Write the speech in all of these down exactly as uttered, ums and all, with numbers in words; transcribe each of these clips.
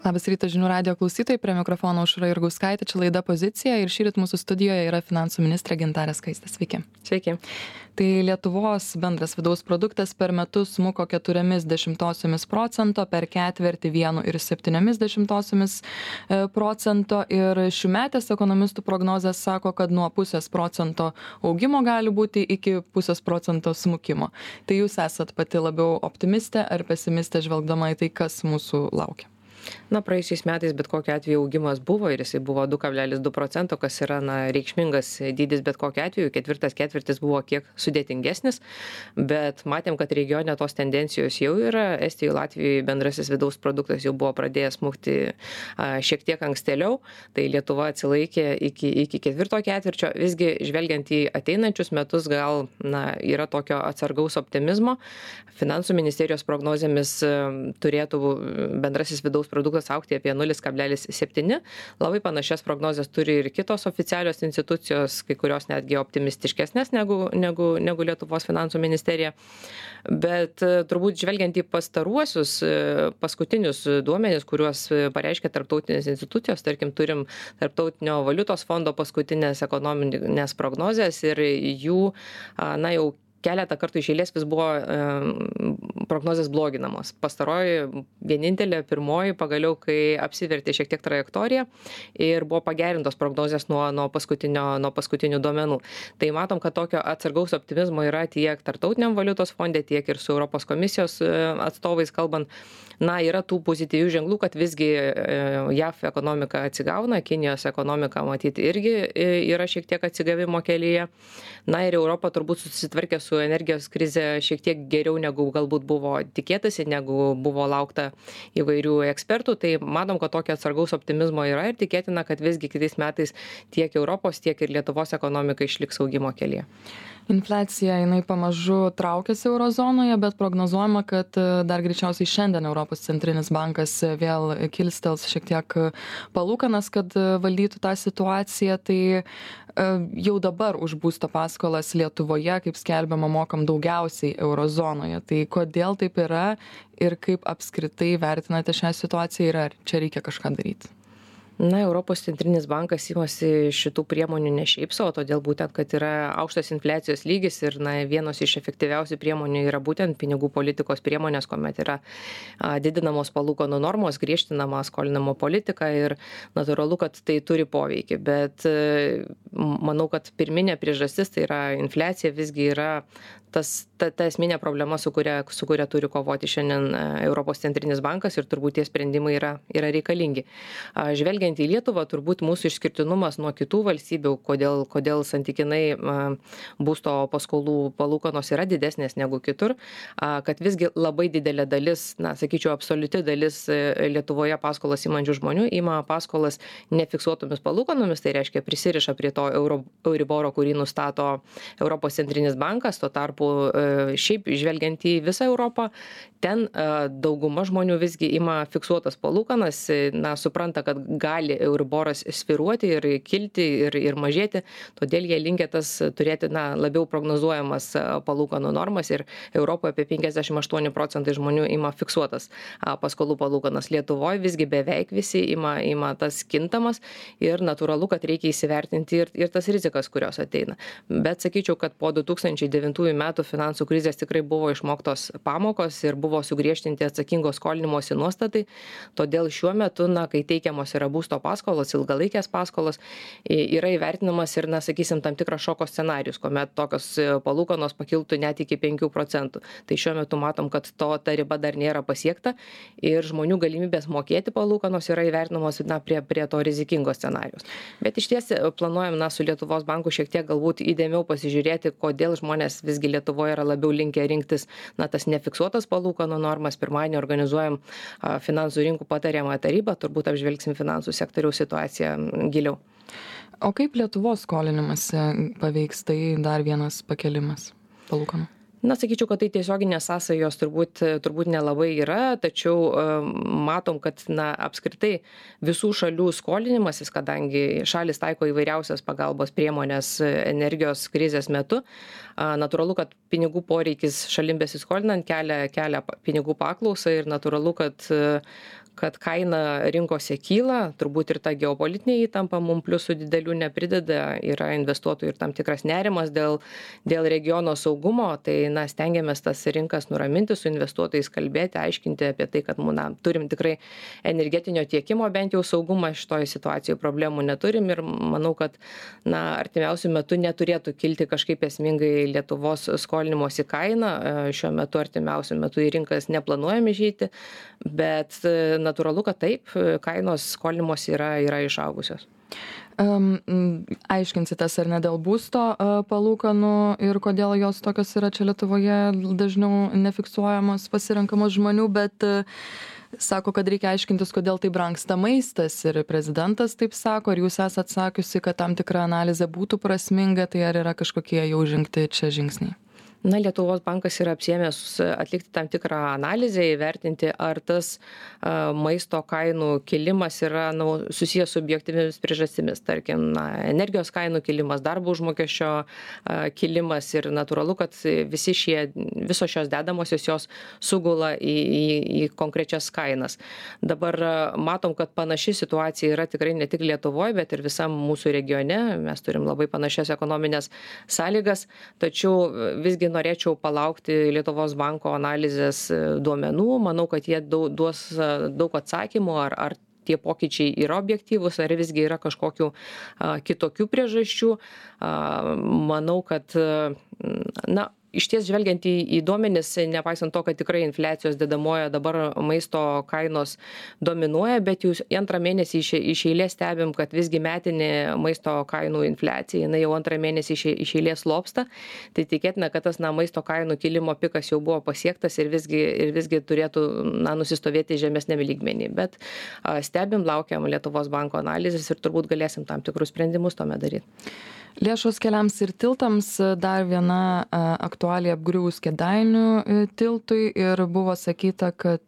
Labas rytas žinių radijo klausytojai, prie mikrofono Aušra Jurgauskaitė, čia laida Pozicija ir šįryt mūsų studijoje yra finansų ministrė Gintarė Skaistė. Sveiki. Sveiki. Tai Lietuvos bendras vidaus produktas per metus smuko keturiomis dešimtosiomis procento, per ketvirtį vienu ir septyniomis dešimtosiomis procento ir šiųmetės ekonomistų prognozės sako, kad nuo pusės procento augimo gali būti iki pusės procento smukimo. Tai jūs esat pati labiau optimistė ar pesimistė žvelgdama į tai, kas mūsų laukia? Na, praėjusiais metais bet kokiu atveju augimas buvo ir jisai buvo du kablelis du procento, kas yra na, reikšmingas dydis bet kokiu atveju. Ketvirtas ketvirtis buvo kiek sudėtingesnis, bet matėm, kad regione tos tendencijos jau yra. Estijoje, Latvijoje bendrasis vidaus produktas jau buvo pradėjęs smukti a, šiek tiek ankstėliau, tai Lietuva atsilaikė iki, iki ketvirto ketvirčio. Visgi, žvelgiant į ateinančius metus, gal na, yra tokio atsargaus optimizmo. Finansų ministerijos prognozėmis a, turėtų bendrasis vidaus produktas augti apie nulis kablelis septyni. Labai panašias prognozes turi ir kitos oficialios institucijos, kai kurios netgi optimistiškesnės negu, negu, negu Lietuvos finansų ministerija. Bet turbūt žvelgiant į pastaruosius paskutinius duomenis, kuriuos pareiškia tarptautinės institucijos, tarkim, turim Tarptautinio valiutos fondo paskutinės ekonominės prognozes ir jų, na jau keletą kartų iš eilės vis buvo e, prognozės bloginamos. Pastaroji vienintelė, pirmoji, pagaliau, kai apsivertė šiek tiek trajektoriją ir buvo pagerintos prognozės nuo, nuo, paskutinio, nuo paskutinių duomenų. Tai matom, kad tokio atsargaus optimizmo yra tiek Tarptautiniam valiutos fonde, tiek ir su Europos komisijos atstovais kalbant. Na, yra tų pozityvių ženklų, kad visgi J A V ekonomika atsigauna, Kinijos ekonomika matyti irgi yra šiek tiek atsigavimo kelyje. Na ir Europa turbūt susitvarkė su energijos krize šiek tiek geriau negu galbūt buvo tikėtasi, negu buvo laukta įvairių ekspertų. Tai matom, kad tokio atsargaus optimizmo yra ir tikėtina, kad visgi kitais metais tiek Europos, tiek ir Lietuvos ekonomika išliks augimo kelyje. Infliacija, jinai pamažu traukiasi eurozonoje, bet prognozuojama, kad dar greičiausiai šiandien Europos centrinis bankas vėl kilstels šiek tiek palūkanas, kad valdytų tą situaciją. Tai jau dabar už būsto paskolas Lietuvoje, kaip skelbiama, mokam daugiausiai eurozonoje. Tai kodėl taip yra ir kaip apskritai vertinate šią situaciją ir ar čia reikia kažką daryti? Na, Europos centrinis bankas imasi šitų priemonių ne šiaip savo, todėl būtent, kad yra aukštas infliacijos lygis ir na, vienos iš efektyviausių priemonių yra būtent pinigų politikos priemonės, kuomet yra a, didinamos palūkanų normos, griežtinama skolinimo politika ir natūralu, kad tai turi poveikį. Bet e, manau, kad pirminė priežastis, tai yra infliacija, visgi yra tas, ta, ta esminė problema, su kuria, su kuria turi kovoti šiandien Europos centrinis bankas ir turbūt tie sprendimai yra, yra reikalingi. A, žvelgiant į Lietuvą, turbūt mūsų išskirtinumas nuo kitų valstybių, kodėl, kodėl santykinai a, būsto paskolų palūkanos yra didesnės negu kitur, a, kad visgi labai didelė dalis, na, sakyčiau, absoliuti dalis Lietuvoje paskolas imančių žmonių ima paskolas nefiksuotomis palūkanomis, tai reiškia prisiriša prie to euro, Euriboro, kurį nustato Europos centrinis bankas, tuo tarpu šiaip žvelgiant į visą Europą, ten dauguma žmonių visgi ima fiksuotas palūkanas, na, supranta, kad gali Euriboras svyruoti ir kilti ir, ir mažėti, todėl jie linkę tas turėti, na, labiau prognozuojamas palūkanų normas ir Europoje apie penkiasdešimt aštuoni procentai žmonių ima fiksuotas paskolų palūkanas. Lietuvoje visgi beveik visi ima, ima tas kintamas ir natūralu, kad reikia įsivertinti ir, ir tas rizikas, kurios ateina. Bet sakyčiau, kad po du tūkstančiai devintųjų metų finansų krizės tikrai buvo išmoktos pamokos ir buvo sugriežtinti atsakingos skolinimosi nuostatai. Todėl šiuo metu, na, kai teikiamos yra būsto paskolos, ilgalaikės paskolos, yra įvertinamas ir, na, sakysim, tam tikras šoko scenarius, kuomet tokios palūkanos pakiltų net iki penkių procentų. Tai šiuo metu matom, kad to ta riba dar nėra pasiekta ir žmonių galimybės mokėti palūkanos yra įvertinamos, na, prie, prie to rizikingo scenarius. Bet iš ties planuojam, na, su Lietuvos banku šiek tiek galbūt įdėmiau pasižiūrėti, kodėl žmonės visgi Lietuvoje yra labiau linkę rinktis, na, tas nefiksuotas palūkanų normas. Pirmadienį organizuojam a, finansų rinkų patariamą tarybą, turbūt apžvelgsim finansų sektoriaus situaciją giliau. O kaip Lietuvos skolinimąsi paveiks tai dar vienas pakelimas palūkanų? Na, sakyčiau, kad tai tiesioginės sąsajos turbūt, turbūt nelabai yra, tačiau matom, kad na, apskritai visų šalių skolinimasis, kadangi šalis taiko įvairiausias pagalbos priemonės energijos krizės metu, natūralu, kad pinigų poreikis šalim besiskolinant kelia, kelia pinigų paklausą ir natūralu, kad kad kaina rinkose kyla, turbūt ir ta geopolitinė įtampa mums pliusų didelių neprideda, yra investuotojų ir tam tikras nerimas dėl, dėl regiono saugumo, tai na, stengiamės tas rinkas nuraminti, su investuotojais kalbėti, aiškinti apie tai, kad na, turim tikrai energetinio tiekimo bent jau saugumą, šitoje situacijoje problemų neturim ir manau, kad na, artimiausių metų neturėtų kilti kažkaip esmingai Lietuvos skolinimosi kaina. Šiuo metu artimiausiu metu į rinkas neplanuojame žyti, bet natūralu, kad taip, kainos skolinimosi yra, yra išaugusios. Um, aiškinsitės ar ne dėl būsto uh, palūkanų ir kodėl jos tokios yra čia Lietuvoje dažniau nefiksuojamos, pasirenkamos žmonių, bet uh, sako, kad reikia aiškintis, kodėl tai brangsta maistas ir prezidentas taip sako, ar jūs esat sakiusi, kad tam tikra analizė būtų prasminga, tai ar yra kažkokie jau žengti čia žingsniai? Na, Lietuvos bankas yra apsiėmęs atlikti tam tikrą analizę, įvertinti, ar tas a, maisto kainų kilimas yra nu, susijęs su objektyvimis priežastimis, tarkim, na, energijos kainų kilimas, darbo užmokesčio a, kilimas ir natūralu, kad visi šie, visos šios dedamosios jos sugula į, į, į konkrečias kainas. Dabar a, matom, kad panaši situacija yra tikrai ne tik Lietuvoje, bet ir visam mūsų regione. Mes turim labai panašias ekonominės sąlygas, tačiau visgi norėčiau palaukti Lietuvos banko analizės duomenų. Manau, kad jie duos daug atsakymų, ar, ar tie pokyčiai yra objektyvūs, ar visgi yra kažkokių a, kitokių priežasčių. A, manau, kad na, iš ties žvelgiant į, į duomenis, nepaisant to, kad tikrai infliacijos dedamoje dabar maisto kainos dominuoja, bet jūs antrą mėnesį iš, iš eilės stebim, kad visgi metinė maisto kainų infliacija, jinai jau antrą mėnesį iš, iš eilės lopsta, tai tikėtina, kad tas na, maisto kainų kilimo pikas jau buvo pasiektas ir visgi, ir visgi turėtų na, nusistovėti žemesnėme lygmenį. Bet a, stebim, laukiam Lietuvos banko analizės ir turbūt galėsim tam tikrus sprendimus tuomet daryti. Lėšos keliams ir tiltams, dar viena aktualija apgriuvus Kėdainių tiltui ir buvo sakyta, kad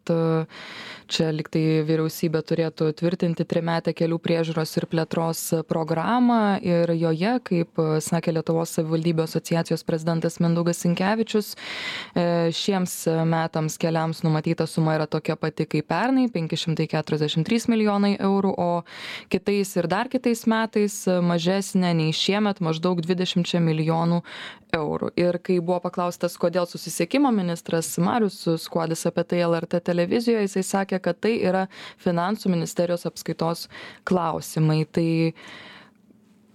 čia liktai vyriausybė turėtų tvirtinti trimetę kelių priežiūros ir plėtros programą ir joje, kaip sakė Lietuvos savivaldybių asociacijos prezidentas Mindaugas Sinkevičius, šiems metams keliams numatyta suma yra tokia pati kaip pernai, penki šimtai keturiasdešimt trys milijonai eurų, o kitais ir dar kitais metais mažesnė nei šiemet, maždaug dvidešimt milijonų eurų. Ir kai buvo paklaustas, kodėl susisiekimo ministras Marius Skuodis apie tai L R T televizijoje, jisai sakė, kad tai yra finansų ministerijos apskaitos klausimai. Tai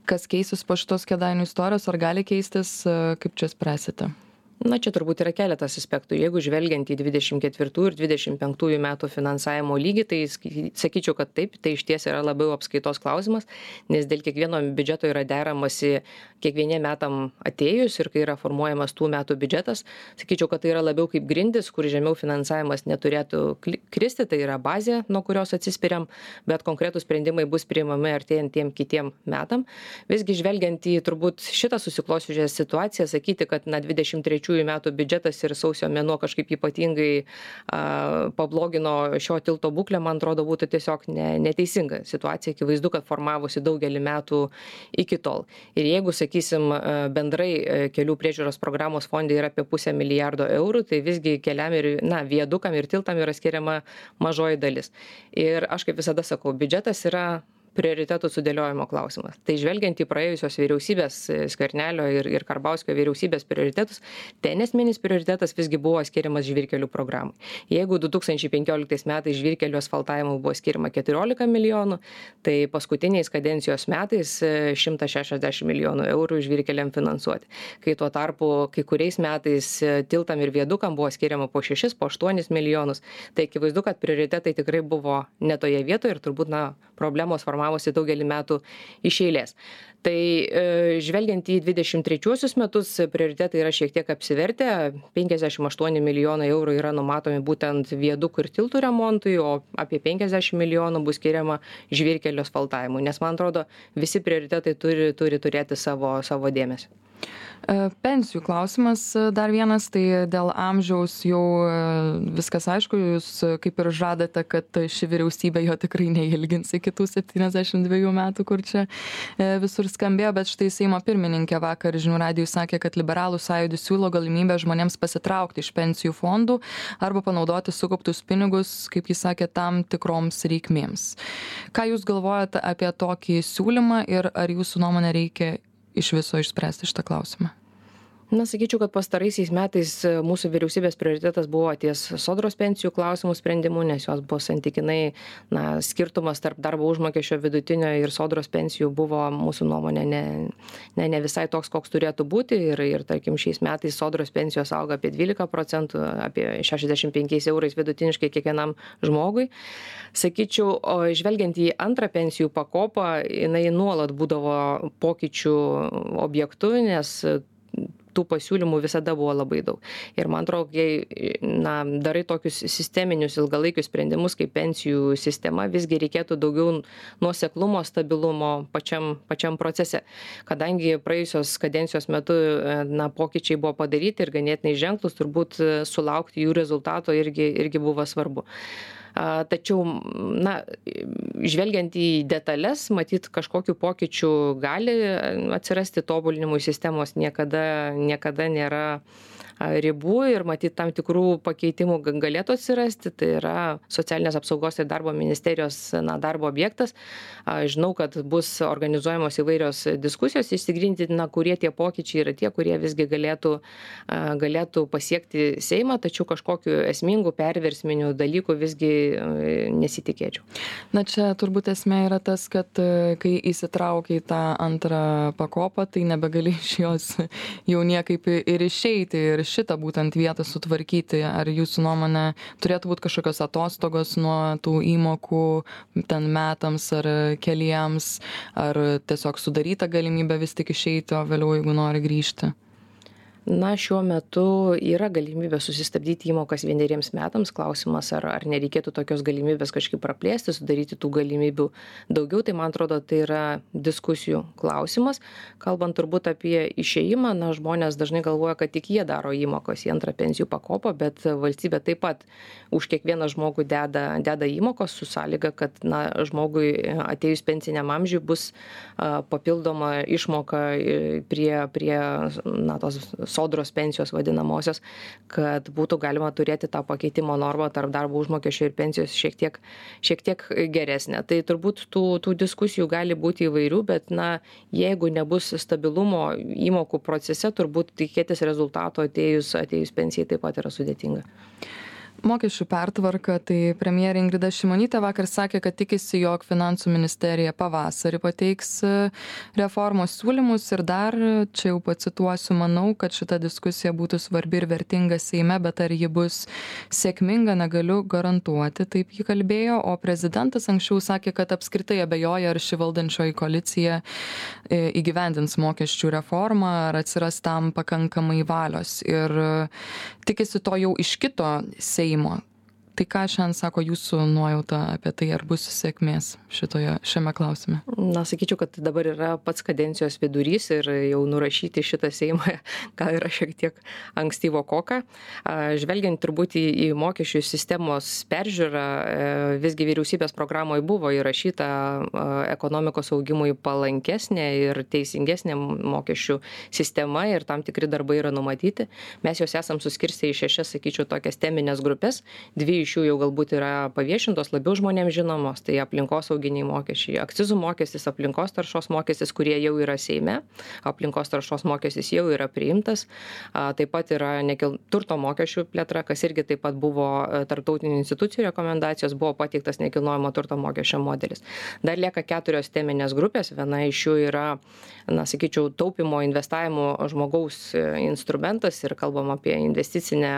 kas keisis po šitos Kėdainių istorijos, ar gali keistis, kaip čia spręsite? Na, čia turbūt yra keletas aspektų. Jeigu žvelgiant į dvidešimt ketvirtų ir dvidešimt penktųjų metų finansavimo lygį, tai sakyčiau, kad taip, tai iš ties yra labiau apskaitos klausimas, nes dėl kiekvieno biudžeto yra deramasi kiekvieniem metam atėjus ir kai yra formuojamas tų metų biudžetas, sakyčiau, kad tai yra labiau kaip grindis, kur žemiau finansavimas neturėtų kristi, tai yra bazė, nuo kurios atsispiriam, bet konkretūs sprendimai bus priimami artėjant tiem kitiem metam. Visgi žvelgiant į turbūt šitą susiklosčiusią situaciją, sakyti, kad na dvidešimt trečių metų biudžetas ir sausio mėnuo kažkaip ypatingai a, pablogino šio tilto būklę, man atrodo, būtų tiesiog ne, neteisinga situacija. Akivaizdu, kad formavosi daugelį metų iki tol. Ir jeigu, sakysim, bendrai kelių priežiūros programos fondai yra apie pusę milijardo eurų, tai visgi keliam ir, na, viadukam ir tiltam yra skiriama mažoji dalis. Ir aš kaip visada sakau, biudžetas yra prioritetų sudėliojimo klausimas. Tai žvelgiant į praėjusios vyriausybės Skvernelio ir, ir Karbauskio vyriausybės prioritetus, ten esminis prioritetas visgi buvo skiriamas žvyrkelių programai. Jeigu du tūkstančiai penkioliktais metais žvyrkelių asfaltavimui buvo skiriama keturiolika milijonų, tai paskutiniais kadencijos metais šimtas šešiasdešimt milijonų eurų žvyrkeliam finansuoti. Kai tuo tarpu kai kuriais metais tiltam ir viadukam buvo skiriama po šešis, po aštuonis milijonus, tai akivaizdu, kad prioritetai tikrai buvo ne toje vietoje ir turbūt na, problemos formavosi daugelį metų iš eilės. Tai e, žvelgiant į dvidešimt trečiuosius metus, prioritetai yra šiek tiek apsivertę. penkiasdešimt aštuoni milijonai eurų yra numatomi būtent viadukų ir tiltų remontui, o apie penkiasdešimt milijonų bus skiriama žvyrkelio asfaltavimui. Nes man atrodo, visi prioritetai turi, turi turėti savo, savo dėmesį. Pensijų klausimas dar vienas, tai dėl amžiaus jau viskas aišku, jūs kaip ir žadate, kad ši vyriausybė jo tikrai neilgins iki tų septyniasdešimt dviejų metų, kur čia visur skambėjo, bet štai Seimo pirmininkė vakar žinių radijui sakė, kad liberalų sąjūdis siūlo galimybę žmonėms pasitraukti iš pensijų fondų arba panaudoti sukauptus pinigus, kaip jis sakė, tam tikroms reikmėms. Ką jūs galvojate apie tokį siūlymą ir ar jūsų nuomonė reikia iš viso išspręsti šitą klausimą? Na, sakyčiau, kad pastaraisiais metais mūsų vyriausybės prioritetas buvo ties sodros pensijų klausimų sprendimu, nes jos buvo santykinai, na, skirtumas tarp darbo užmokesčio vidutinio ir sodros pensijų buvo mūsų nuomonė ne, ne, ne visai toks, koks turėtų būti. Ir, ir tarkim, šiais metais sodros pensijos auga apie dvylika procentų, apie šešiasdešimt penkiais eurais vidutiniškai kiekvienam žmogui. Sakyčiau, o žvelgiant į antrą pensijų pakopą, jinai nuolat būdavo pokyčių objektu, nes tų pasiūlymų visada buvo labai daug. Ir man atrodo, kai na, darai tokius sisteminius ilgalaikius sprendimus kaip pensijų sistema, visgi reikėtų daugiau nuoseklumo, stabilumo pačiam, pačiam procese. Kadangi praėjusios kadencijos metu na, pokyčiai buvo padaryti ir ganėtinai ženklus, turbūt sulaukti jų rezultato irgi, irgi buvo svarbu. Tačiau, na, žvelgiant į detalės, matyt, kažkokių pokyčių gali atsirasti, tobulinimui sistemos niekada, niekada nėra ribų ir matyt tam tikrų pakeitimų galėtų atsirasti. Tai yra socialinės apsaugos ir darbo ministerijos na, darbo objektas. Žinau, kad bus organizuojamos įvairios diskusijos, išsigryninti, na, kurie tie pokyčiai yra tie, kurie visgi galėtų, galėtų pasiekti Seimą, tačiau kažkokiu esmingų perversminių dalykų visgi nesitikėčiau. Na čia turbūt esmė yra tas, kad kai įsitraukia į tą antrą pakopą, tai nebegali iš jos jau niekaip ir išeiti ir šitą būtent vietą sutvarkyti. Ar jūsų nuomonė turėtų būti kažkokios atostogos nuo tų įmokų ten metams ar keliems, ar tiesiog sudaryta galimybė vis tik išeiti, o vėliau jeigu nori grįžti? Na, šiuo metu yra galimybė susistabdyti įmokas vieneriems metams. Klausimas, ar, ar nereikėtų tokios galimybės kažkaip praplėsti, sudaryti tų galimybių daugiau. Tai, man atrodo, tai yra diskusijų klausimas. Kalbant turbūt apie išėjimą, na, žmonės dažnai galvoja, kad tik jie daro įmokos į antrą pensijų pakopą, bet valstybė taip pat už kiekvieną žmogų deda, deda įmokos su sąlyga, kad na, žmogui atėjus pensiniam amžiui bus a, papildoma išmoka prie, prie na, tos sodros pensijos vadinamosios, kad būtų galima turėti tą pakeitimo normą tarp darbo užmokesčio ir pensijos šiek tiek, šiek tiek geresnė. Tai turbūt tų, tų diskusijų gali būti įvairių, bet na, jeigu nebus stabilumo įmokų procese, turbūt tikėtis rezultato atėjus, atėjus pensijai taip pat yra sudėtinga. Mokesčių pertvarka, tai premjerė Ingrida Šimonytė vakar sakė, kad tikisi, jog finansų ministerija pavasarį pateiks reformos siūlymus ir dar, čia jau pacituosiu, manau, kad šita diskusija būtų svarbi ir vertinga Seime, bet ar ji bus sėkminga, negaliu garantuoti, taip ji kalbėjo, o prezidentas anksčiau sakė, kad apskritai abejoja, ar ši valdančioji koalicija įgyvendins mokesčių reformą, ar atsiras tam pakankamai valios ir tikisi to jau iš kito Seimo. Tai ką šiandien sako jūsų nuojauta apie tai, ar bus sėkmės šitoje, šiame klausime? Na, sakyčiau, kad dabar yra pats kadencijos vidurys ir jau nurašyti šitą Seimą gal yra šiek tiek ankstyvo koka. Žvelgiant turbūt į, į mokesčių sistemos peržiūrą, visgi vyriausybės programoje buvo įrašyta ekonomikos augimui palankesnė ir teisingesnė mokesčių sistema ir tam tikri darbai yra numatyti. Mes juos esam suskirstę į šešias, sakyčiau, tokias teminės grupės. Dvi iš jų jau galbūt yra paviešintos, labiau žmonėms žinomos, tai aplinkosauginiai mokesčiai, akcizų mokestis, aplinkos taršos mokestis, kurie jau yra Seime, aplinkos taršos mokestis jau yra priimtas, taip pat yra nekil... turto mokesčių plėtra, kas irgi taip pat buvo tarptautinių institucijų rekomendacijos, buvo pateiktas nekilnojamo turto mokesčio modelis. Dar lieka keturios teminės grupės, viena iš jų yra, na, sakyčiau, taupimo investavimo žmogaus instrumentas ir kalbam apie investicinę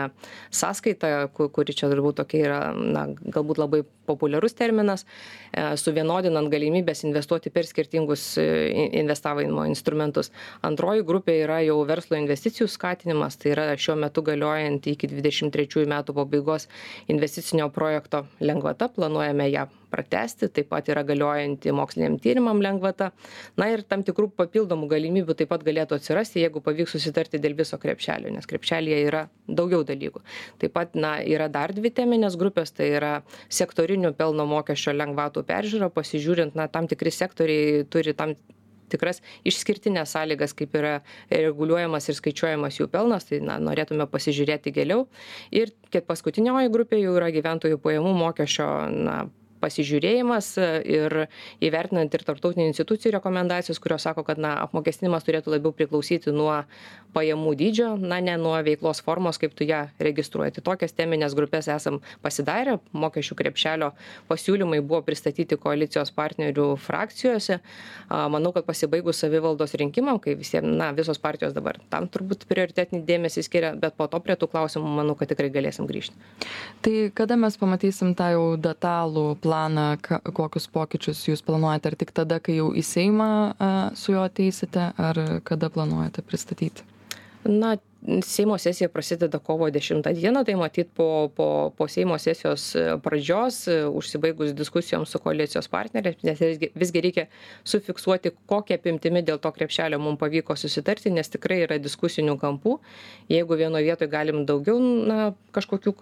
sąskaitą, kuri čia turbūt tokia yra, na, galbūt labai populiarus terminas, suvienodinant galimybės investuoti per skirtingus investavimo instrumentus. Antroji grupė yra jau verslo investicijų skatinimas, tai yra šiuo metu galiojant iki dvidešimt trečiųjų metų pabaigos investicinio projekto lengvata, planuojame ją pratęsti, taip pat yra galiojanti moksliniam tyrimam lengvata. Na ir tam tikrų papildomų galimybių taip pat galėtų atsirasti, jeigu pavyks susitarti dėl viso krepšelio, nes krepšelėje yra daugiau dalykų. Taip pat na, yra dar dvi teminės grupės, tai yra sektorinių pelno mokesčio lengvatų peržiūra, pasižiūrint, na, tam tikri sektoriai turi tam tikras išskirtinės sąlygas, kaip yra reguliuojamas ir skaičiuojamas jų pelnas, tai na, norėtume pasižiūrėti giliau. Ir kiek paskutinioji grupė jau yra gyventojų pajamų mokesčio na, pasižiūrėjimas ir įvertinant ir tarptautinių institucijų rekomendacijos, kurios sako, kad na, apmokestinimas turėtų labiau priklausyti nuo pajamų dydžio, na, ne nuo veiklos formos, kaip tu ją registruoji. Tai tokias teminės grupės esam pasidarę, mokesčių krepšelio pasiūlymai buvo pristatyti koalicijos partnerių frakcijose. Manau, kad pasibaigus savivaldos rinkimam, kai visiems, na, visos partijos dabar tam turbūt prioritetinį dėmesį skiria, bet po to prie tų klausimų manau, kad tikrai galėsim grįžti. Tai kada mes pamatysim tą jau detalų planą, kokius pokyčius jūs planuojate, ar tik tada, kai jau į Seimą su juo ateisite, ar kada planuojate pristatyti? Na, Seimo sesija prasideda kovo dešimtą dieną, tai matyt po, po, po Seimo sesijos pradžios, užsibaigus diskusijoms su koalicijos partneriais, nes visgi reikia sufiksuoti, kokią apimtimi dėl to krepšelio mums pavyko susitarti, nes tikrai yra diskusinių kampų. Jeigu vienoje vietoje galim daugiau na, kažkokių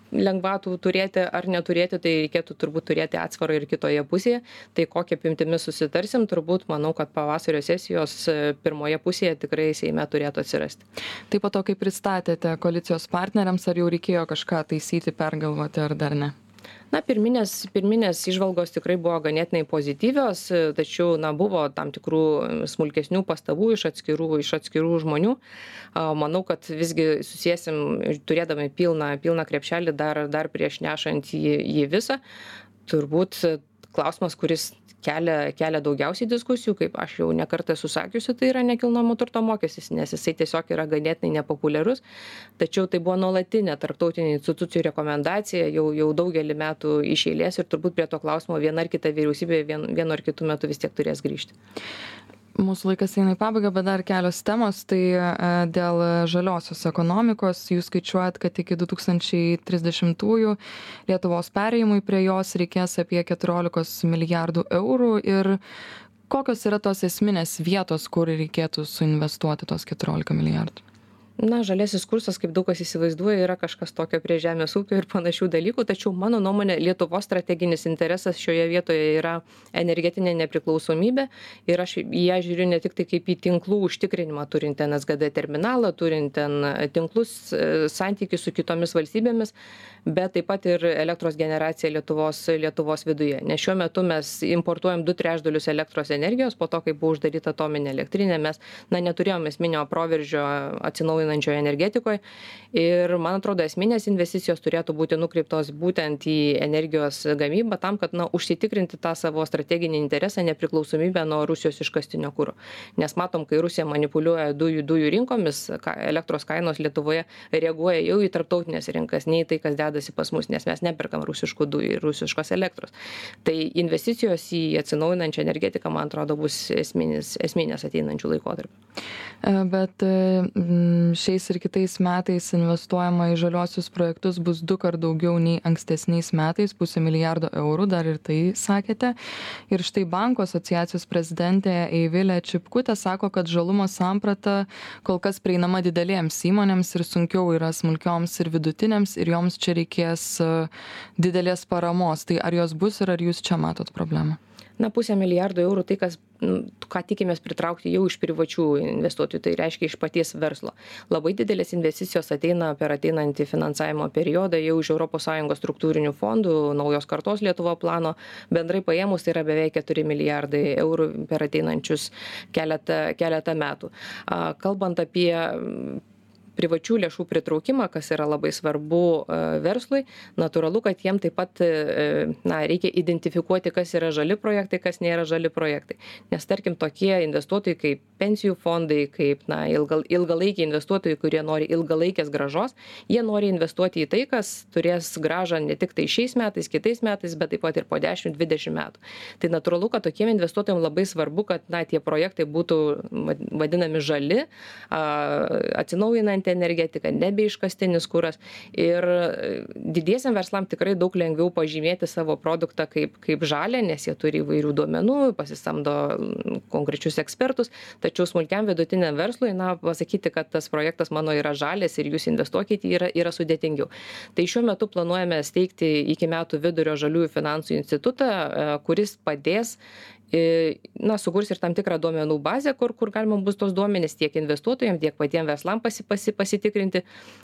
lengvatų turėti ar neturėti, tai reikėtų turbūt turėti atsvarą ir kitoje pusėje. Tai kokią apimtimi susitarsim, turbūt manau, kad pavasario sesijos pirmoje pusėje tikrai Seime turėtų atsirasti. Taip po to, kai pristatėte koalicijos partneriams, ar jau reikėjo kažką taisyti, pergalvoti, ar dar ne? Na, pirminės, pirminės išvalgos tikrai buvo ganėtinai pozityvios, tačiau na, buvo tam tikrų smulkesnių pastabų iš atskirų, iš atskirų žmonių. Manau, kad visgi susiesim, turėdami pilną, pilną krepšelį dar, dar prieš nešant jį, jį visą. Turbūt klausimas, kuris kelia, kelia daugiausiai diskusijų, kaip aš jau nekartą susakiusi, tai yra nekilnojamo turto mokestis, nes jisai tiesiog yra ganėtinai nepopuliarus, tačiau tai buvo nuolatinė tarptautinių institucijų rekomendacija jau, jau daugelį metų iš eilės ir turbūt prie to klausimo viena ar kita vyriausybė vien, vienu ar kitu metu vis tiek turės grįžti. Mūsų laikas eina į pabaigą, bet dar kelios temos. Tai dėl žaliosios ekonomikos jūs skaičiuojat, kad iki du tūkstančiai trisdešimtųjų Lietuvos perėjimui prie jos reikės apie keturiolikos milijardų eurų. Ir kokios yra tos esminės vietos, kur reikėtų suinvestuoti tos keturiolika milijardų? Na, žaliasis kursas, kaip daug kas įsivaizduoja, yra kažkas tokio prie žemės ūkio ir panašių dalykų, tačiau mano nuomonė Lietuvos strateginis interesas šioje vietoje yra energetinė nepriklausomybė ir aš į ją žiūriu ne tik tai kaip į tinklų užtikrinimą, turint ten S G D terminalą, turint ten tinklus, santykius su kitomis valstybėmis, bet taip pat ir elektros generacija Lietuvos, Lietuvos viduje. Nes šiuo metu mes importuojam du trečdalius elektros energijos, po to, kai buvo uždaryta atominė elektrinė, mes na, neturėjome esminio proveržio atsinaujinančioje energetikoje ir, man atrodo, esminės investicijos turėtų būti nukreiptos būtent į energijos gamybą tam, kad na, užsitikrinti tą savo strateginį interesą, nepriklausomybę nuo Rusijos iškastinio kuro. Nes matom, kai Rusija manipuliuoja dujų, dujų rinkomis, elektros kainos Lietuvoje reaguoja jau į tarptautinės rinkas, nei tai, kas dedasi pas mus, nes mes neperkam rusiškų dujų ir rusiškos elektros. Tai investicijos į atsinaujinančią energetiką, man atrodo, bus esminis, esminės ateinančių laikotarpių. Bet šiais ir kitais metais investuojama į žaliosius projektus bus du kart daugiau nei ankstesniais metais, pusę milijardo eurų, dar ir tai sakėte. Ir štai Bankų asociacijos prezidentė Eivilė Čipkutė sako, kad žalumo samprata kol kas prieinama didelėms įmonėms ir sunkiau yra smulkioms ir vidutinėms ir joms čia reikės didelės paramos. Tai ar jos bus ir ar jūs čia matot problemą? Na, pusę milijardo eurų tai, kas, ką tikimės pritraukti jau iš privačių investuotojų, tai reiškia iš paties verslo. Labai didelės investicijos ateina per ateinantį finansavimo periodą jau iš Europos Sąjungos struktūrinių fondų, naujos kartos Lietuvo plano. Bendrai paėmus tai yra beveik keturi milijardai eurų per ateinančius keletą, keletą metų. Kalbant apie privačių lėšų pritraukimą, kas yra labai svarbu verslui, natūralu, kad jiem taip pat na, reikia identifikuoti, kas yra žali projektai, kas nėra žali projektai. Nes tarkim tokie investuotojai kaip pensijų fondai, kaip na, ilgal, ilgalaikiai investuotojai, kurie nori ilgalaikės gražos, jie nori investuoti į tai, kas turės gražą ne tik tai šiais metais, kitais metais, bet taip pat ir po dešimt dvidešimt metų. Tai natūralu, kad tokiem investuotojams labai svarbu, kad na, tie projektai būtų vadinami žali, atsinaujinantys atsinaujinanti energetika, nebe iškastinis kuras. Ir didiesiam verslam tikrai daug lengviau pažymėti savo produktą kaip, kaip žalę, nes jie turi įvairių duomenų, pasisamdo konkrečius ekspertus, tačiau smulkiam vidutiniam verslui, na, pasakyti, kad tas projektas mano yra žalės ir jūs investuokite, yra, yra sudėtingiau. Tai šiuo metu planuojame steigti iki metų vidurio žaliųjų finansų institutą, kuris padės, na, sukurs ir tam tikrą duomenų bazę, kur, kur galima bus tos duomenys tiek investuotojams, tiek patiems verslam pasi, pasi, pasitikrinti,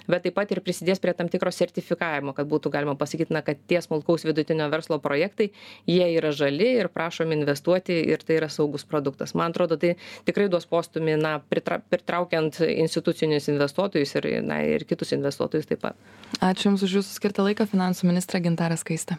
bet taip pat ir prisidės prie tam tikro sertifikavimo, kad būtų galima pasakyti, na, kad tie smulkaus vidutinio verslo projektai, jie yra žali ir prašom investuoti ir tai yra saugus produktas. Man atrodo, tai tikrai duos postumį, na, pritra, pritraukiant institucinius investuotojus ir, na, ir kitus investuotojus taip pat. Ačiū Jums už Jūsų skirtą laiką, finansų ministrė Gintarė Skaistė.